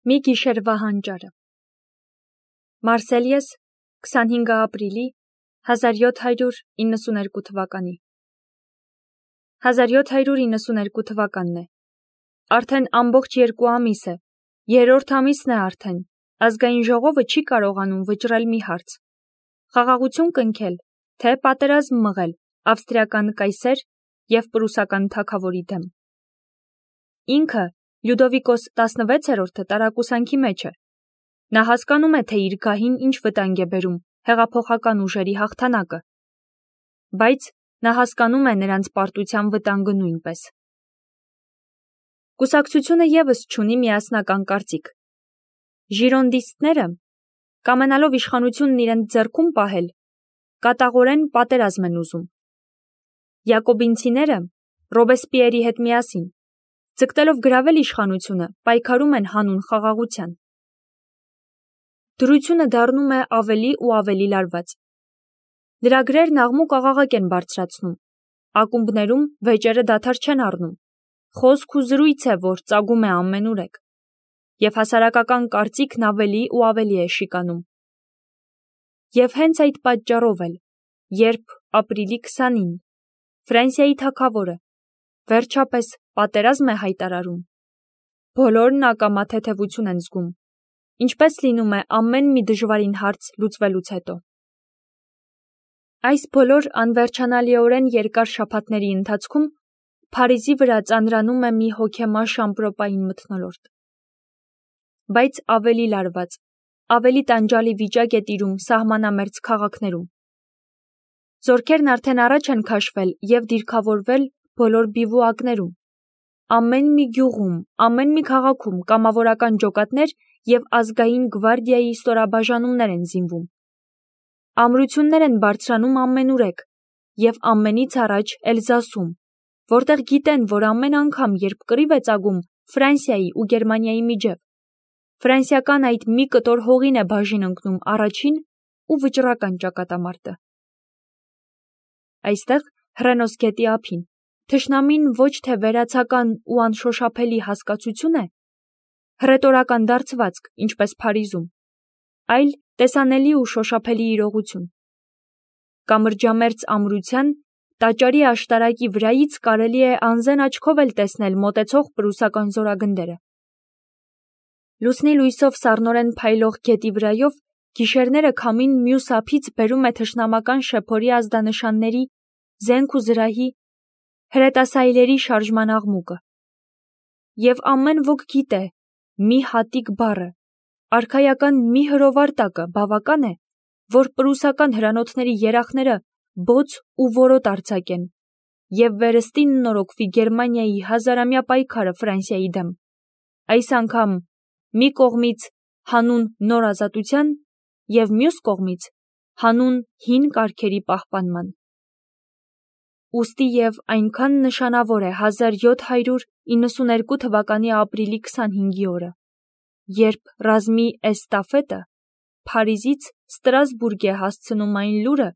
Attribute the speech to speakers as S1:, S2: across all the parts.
S1: Մի գիշերվա հանճարը։ Մարսելիես 25 ապրիլի 1792 թվականի 1792 թվականն է։ Արդեն ամբողջ 2 ամիս է, երրորդ ամիսն է արդեն, ազգային ժողովը չի կարողանում վճռել մի հարց. խաղաղություն կնքել, թե պատերազմ մղել ավստրիական կայսեր և պրուսական թագավորի դեմ։ Ինքը Լյուդովիկոս 16-րդը տարակուսանքի մեջ է։ Նա հասկանում է, թե իր գահին ինչ վտանգ է բերում հեղափոխական ուժերի հաղթանակը, բայց նա հասկանում է նրանց պարտության վտանգը նույնպես։ Կուսակցությունը ևս չունի միասնական կարծիք։ Ժիրոնդիստները, կամենալով իշխանությունն իրենց ձեռքում պահել, կատաղորեն պատերազմ են ուզում։ Յակոբինցիները Ռոբեսպիերի հետ միասին, ձգտելով գրավել իշխանությունը, պայքարում են հանուն խաղաղության։ Դրությունը դառնում է ավելի ու ավելի լարված։ Լրագրերն աղմուկ-աղաղակ են բարձրացնում, ակումբներում վեճերը դադար չեն առնում, խոսք ու զրույց է, որ ծագում է ամենուրեք, և հասարակական կարծիքն ավելի ու ավելի է շիկանում։ Եվ հենց այդ պատճառով էլ, երբ ապրիլի 20-ին Ֆրանսիայի թագավորը վերջապես պատերազմ է հայտարարում, բոլորն ակամա թեթևություն են զգում, ինչպես լինում է ամեն մի դժվարին հարց լուծվելուց հետո։ Այս բոլոր անվերջանալիորեն երկար շաբաթների ընթացքում Փարիզի վրա ծանրանում է մի հոգեմաշ ամպրոպային մթնոլորտ։ Բայց ավելի լարված, ավելի տանջալի վիճակ է տիրում սահմանամերձ քաղաքներում։ Զորքերն արդեն առաջ են քաշվել և դիրքավորվել բոլոր բիվուակներում։ Ամեն մի գյուղում, ամեն մի քաղաքում կամավորական ջոկատներ և ազգային գվարդիայի ստորաբաժանումներ են զինվում։ Ամրություններ են բարձրանում ամենուրեք և ամենից առաջ Էլզասում, որտեղ գիտեն, որ ամեն անգամ, երբ կռիվ է ծագում Ֆրանսիայի ու Գերմանիայի միջև, ֆրանսիական այդ մի կտոր հողին է բաժին ընկնում առաջին ու վճռական ճակատամարտը։ Այստեղ, Հռենոս գետի ափին, թշնամին ոչ թե վերացական ու անշոշափելի հասկացություն է, հռետորական դարձվածք, ինչպես Փարիզում, այլ տեսանելի ու շոշափելի իրողություն։ Կամրջամերձ ամրության, տաճարի աշտարակի վրայից կարելի է անզեն աչքով էլ տեսնել մոտեցող պրուսական զորագնդերը։ Լուսնի լույսով սառնորեն փայլող գետի վրայով գիշերները քամին մյուս ափից բերում է թշնամական շեփորի ազդանշանների, զենք ու զրահի, հրետասայլերի շարժման աղմուկը։ Եվ ամեն ոք գիտե, մի հատիկ բառը, արքայական մի հրովար տակը բավական է, որ պրուսական հրանոթների երախները բոց ու որոտ արձակեն և վերստին նորոգվի Գերմանիայի հազարամյա պայքարը Ֆրանսիայի դեմ, այս անգամ մի կողմից հանուն նոր ազատության և մյուս կողմից հանուն հին կարգերի պահպանման։ Ուստի և այնքան նշանավոր է 1792 թվականի ապրիլի 25-ի օրը, երբ ռազմի էստաֆետը Փարիզից Ստրասբուրգ է հասցնում այն լուրը,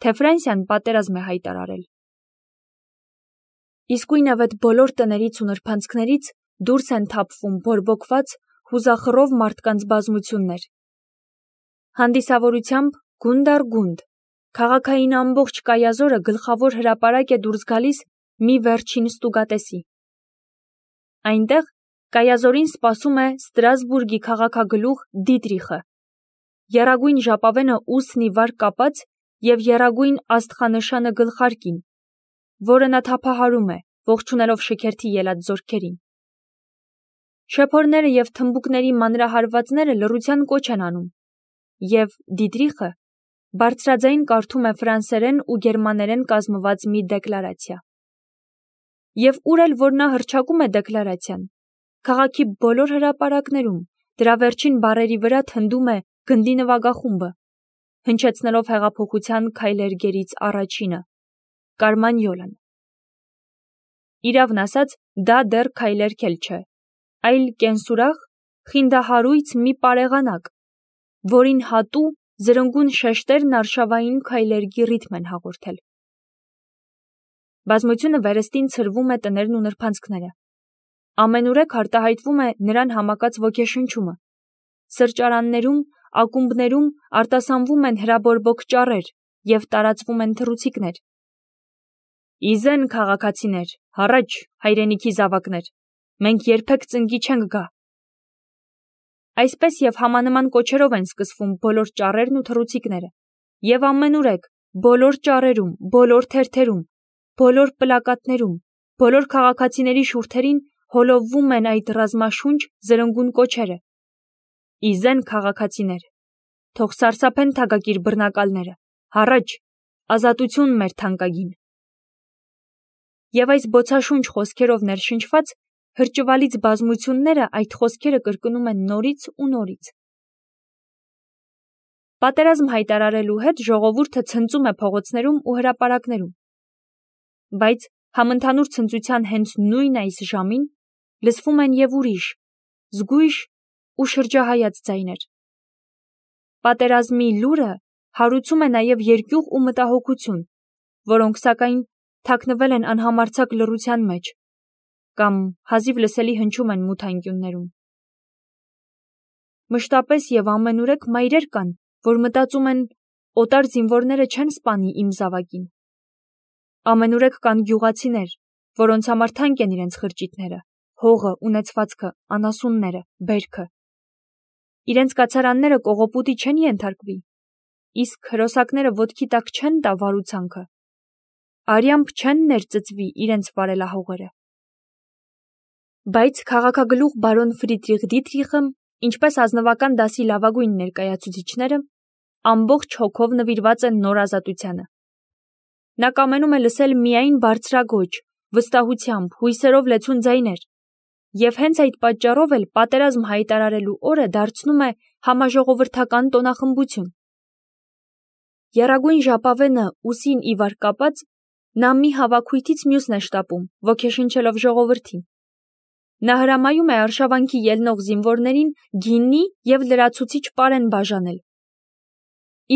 S1: թե Ֆրանսիան պատերազմ է հայտարարել։ Իսկույնավետ բոլոր տներից ու նրբանցքներից դուրս են թափվում բորբոքված, հուզախռով մարդկանց բազմություններ։ Հանդիսավորությամբ գունդ առ գունդ, քաղաքային ամբողջ կայազորը գլխավոր հրապարակ է դուրս գալիս մի վերջին ստուգատեսի։ Այնտեղ կայազորին սպասում է Ստրասբուրգի քաղաքագլուխ Դիտրիխը, եռագույն ժապավենը ուսն ի վար կապած և եռագույն աստղանշանը գլխարկին, որը նա թափահարում է, ողջունելով շքերթի ելած զորքերին։ Շեփորները և թմբուկների մանրահարվածները լռության կոչ են անում, և Դիտրիխը բարձրաձայն կարդում է ֆրանսերեն ու գերմաներեն կազմված մի դեկլարացիա։ Եվ ուր էլ որ նա հռչակում է դեկլարացիան, քաղաքի բոլոր հրապարակներում դրա վերջին բառերի վրա թնդում է գնդի նվագախումբը, հնչեցնելով հեղափոխության քայլերգերից առաջինը՝ Կարմանյոլան։ Իրավն ասած, դա դեռ քայլերգ էլ չէ, այլ կենսուրախ, խինդահարույց մի պարեղանակ, որին հատու զրնգուն շեշտերն արշավային քայլերգի ռիթմ են հաղորդել։ Բազմությունը վերստին ցրվում է տներն ու նրբանցքները։ ամենուրեք արտահայտվում է նրան համակած ոգեշնչումը։ Սրճարաններում, ակումբներում արտասանվում են հրաբորբոք ճառեր և տարածվում են թռուցիկներ։ Իզեն քաղաքացիներ, հառաչ հայրենիքի զավակներ, մենք երբեք ծնկի չենք գա։ Այսպես և համանման կոչերով են սկսվում բոլոր ճառերն ու թռուցիկները, և ամենուրեք, բոլոր ճառերում, բոլոր թերթերում, բոլոր պլակատներում, բոլոր քաղաքացիների շուրթերին հոլովվում են այդ ռազմաշունչ զրնգուն կոչերը. Իզեն քաղաքացիներ, թող սարսափեն թագակիր բռնակալները, հառաչ, ազատություն մեր թանկագին։ Եվ այս բոցաշունչ խոսքերով ներշնչված հրճվալից բազմությունները այդ խոսքերը կրկնում են նորից ու նորից։ Պատերազմ հայտարարելու հետ ժողովուրդը ցնծում է փողոցներում ու հրապարակներում։ Բայց համընդհանուր ցնծության հենց նույն այս ժամին լսվում են և ուրիշ, զգույշ ու շրջահայաց ձայներ։ Պատերազմի լուրը հարուցում է նաև երկյուղ ու մտահոգություն, որոնք սակայն թաքնվել են անհամարձակ լռության մեջ կամ հազիվ լսելի հնչում են մութ անկյուններում։ Մշտապես և ամենուրեք մայրեր կան, որ մտածում են օտար զինվորները չեն սպանի իմ զավակին։ Ամենուրեք կան գյուղացիներ, որոնց համար թանկ են իրենց խրճիթները, հողը, ունեցվածքը, անասունները, բերքը։ Իրենց կացարանները կողոպուտի չեն ենթարկվի, իսկ հրոսակները ոտքի տակ չեն տա վարուցանքը, արյամբ չեն ներծծվի իրենց վարելահողերը։ Բայց քաղաքագլուխ բարոն Ֆրիդրիխ Դիտրիխը, ինչպես ազնվական դասի լավագույն ներկայացուցիչները, ամբողջ հոգով նվիրված է նոր ազատությանը։ Նա կամենում է լսել միայն բարձրագոչ, վստահությամբ, հույսերով լեցուն ձայներ, և հենց այդ պատճառով էլ պատերազմ հայտարարելու օրը դարձնում է համաժողովրդական տոնախմբություն։ Եռագույն ժապավենը ուսին ի վար կապած, նա մի հավաքույթից մյուսն է շտապում, ոգեշնչելով ժողովրդին։ Նա հրամայում է արշավանքի ելնող զինվորներին գինի և լրացուցիչ պարեն բաժանել։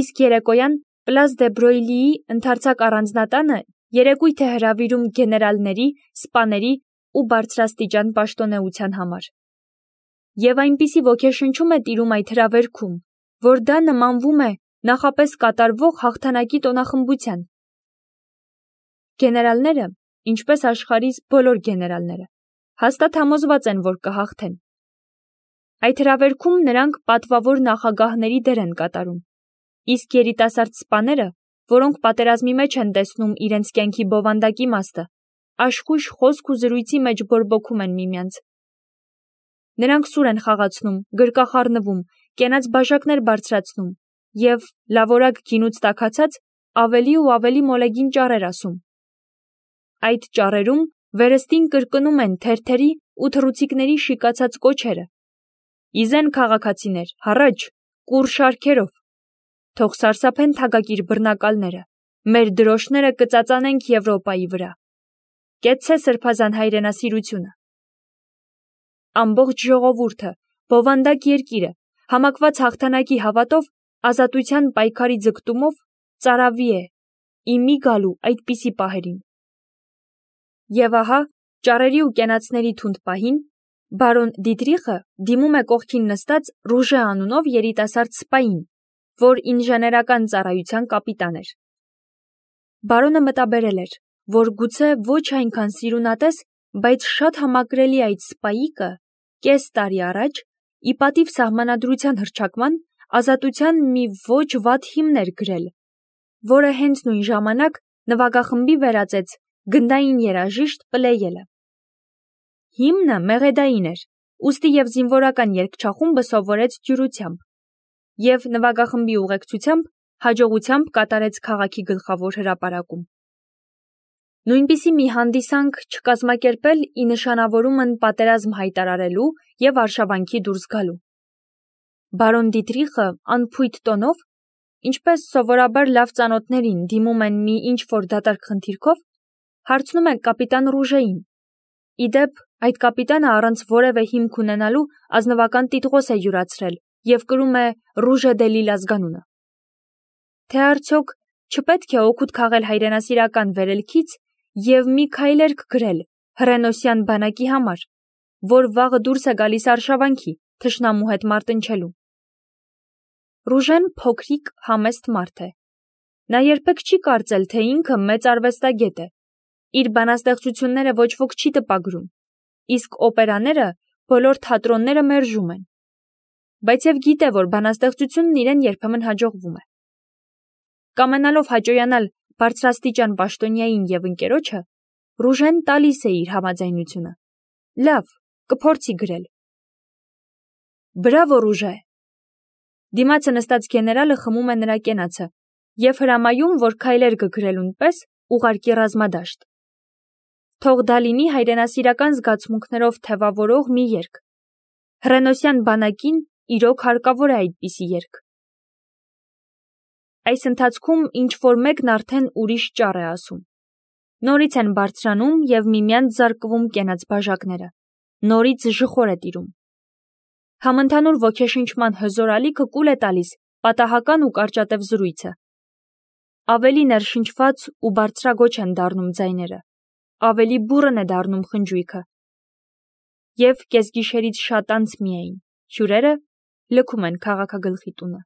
S1: Իսկ երեկոյան Պլաս դե Բրոյլիի ընդարձակ առանձնատանը երեկույթ է հրավիրում գեներալների, սպաների ու բարձրաստիճան պաշտոնեության համար։ Եվ այնպիսի ոգեշնչում է տիրում այդ հրավերքում, որ դա նմանվում է նախապես կատարվող հաղթանակի տոնախմբության։ Գեներալները, ինչպես աշխարհիս բոլոր գեներալները, հաստատ համոզված են, որ կհաղթեն։ Այդ հրավերքում նրանք պատվավոր նախագահների դեր են կատարում, իսկ երիտասարդ սպաները, որոնք պատերազմի մեջ են տեսնում իրենց կյանքի բովանդակ իմաստը, աշխույժ խոսք ու զրույցի մեջ բորբոքում են միմյանց։ Նրանք սուր են խաղացնում, գրկախառնվում, կենաց բաժակներ բարձրացնում և, լավորակ գինուց տաքացած, ավելի ու ավելի մոլեգին ճառեր ասում։ Այդ ճառերում վերստին կրկնում են թերթերի ու թռուցիկների շիկացած կոչերը. Իզեն քաղաքացիներ, հառաչ, կուռ շարքերով, թող սարսափեն թագակիր բռնակալները, մեր դրոշները կծածանենք Եվրոպայի վրա։ Կեցցե սրբազան հայրենասիրությունը։ Ամբողջ ժողովուրդը, բովանդակ երկիրը, համակված հաղթանակի հավատով, ազատության պայքարի ձգտումով ծարավի է իմի գալու այդպիսի պահերին։ Եվ ահա, ճառերի ու կենացների թունդ պահին, բարոն Դիտրիխը դիմում է կողքին նստած Ռուժե անունով երիտասարդ սպային, որ ինժեներական ծառայության կապիտան էր։ Բարոնը մտաբերել էր, որ գուցե ոչ այնքան սիրունատես, բայց շատ համակրելի այդ սպայիկը կես տարի առաջ, ի պատիվ սահմանադրության հռչակման, ազատության մի ոչ վատ հիմն էր գրել, որը հենց նույն ժամանակ նվագախմբի վերածեց գնդային երաժիշտ Պլեյելը։ Հիմնը մեղեդային էր, ուստի և զինվորական երգչախումբը սովորեց դյուրությամբ, և նվագախմբի ուղեկցությամբ հաջողությամբ կատարեց քաղաքի գլխավոր հրապարակում։ Նույնպիսի մի հանդիսանք չկազմակերպել ի նշանավորումն պատերազմ հայտարարելու և արշավանքի դուրս գալու։ Բարոն Դիտրիխը անփույթ տոնով, ինչպես սովորաբար լավ ծանոթներին դիմում են մի ինչ-որ դատարկ խնդիրքով, հարցնում է կապիտան Ռուժեին։ Ի դեպ, այդ կապիտանը առանց որևէ հիմք ունենալու ազնվական տիտղոս է յուրացրել և կրում է Ռուժե դե Լիլ ազգանունը։ Թե արդյոք չպետք է օգուտ քաղել հայրենասիրական վերելքից և մի քայլերգ գրել հռենոսյան բանակի համար, որ վաղը դուրս է գալիս արշավանքի, թշնամու հետ մարտնչելու։ Ռուժեն փոքրիկ համեստ մարդ է։ Նա երբեք չի կարծել, թե ինքը մեծ արվեստագետ է։ Իր բանաստեղծությունները ոչ ոք չի տպագրում, իսկ օպերաները բոլոր թատրոնները մերժում են։ Բայց եւ գիտե, որ բանաստեղծությունն իրեն երբեմն հաջողվում է։ Կամենալով հաճոյանալ բարձրաստիճան պաշտոնյային եւ ընկերոջը, Ռուժեն տալիս է իր համաձայնությունը։ Լավ, կփորձի գրել։ Բրավո, Ռուժե։ Դիմացը նստած գեներալը խմում է նրա կենացը եւ հրամայում, որ քայլեր կգրելուն պես ուղարկի ռազմադաշտ։ Թող դա լինի հայրենասիրական զգացմունքներով թևավորող մի երգ։ Հռենոսյան բանակին իրոք հարկավոր է այդպիսի երգ։ Այս ընթացքում ինչ-որ մեկն արդեն ուրիշ ճառ է ասում։ Նորից են բարձրանում եւ միմյանց զարկվում կենաց բաժակները։ Նորից ժխոր է տիրում։ Համընդհանուր ոգեշնչման հզոր ալիքը կուլ է տալիս պատահական ու կարճատև զրույցը։ Ավելի ներշնչված ու բարձրագոչ են դառնում ձայները, ավելի բուռն է դառնում խնջույքը։ Եվ կեսգիշերից շատ անց միայն հյուրերը լքում են քաղաքագլխի տունը։